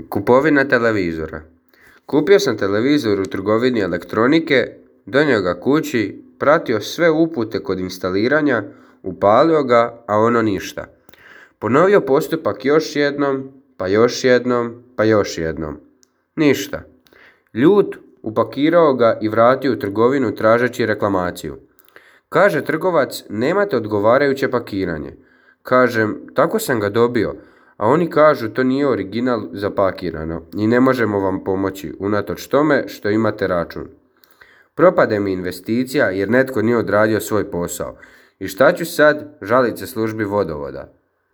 Kupovina televizora. Kupio sam televizor u trgovini elektronike, donio ga kući, pratio sve upute kod instaliranja, upalio ga, a ono ništa. Ponovio postupak još jednom, pa još jednom, pa još jednom. Ništa. Ljut, upakirao ga i vratio u trgovinu tražeći reklamaciju. Kaže trgovac, nemate odgovarajuće pakiranje. Kažem, tako sam ga dobio, a oni kažu to nije original zapakirano i ne možemo vam pomoći, unatoč tome što imate račun. Propade mi investicija jer netko nije odradio svoj posao. I šta ću sad? Žalit se službi vodovoda.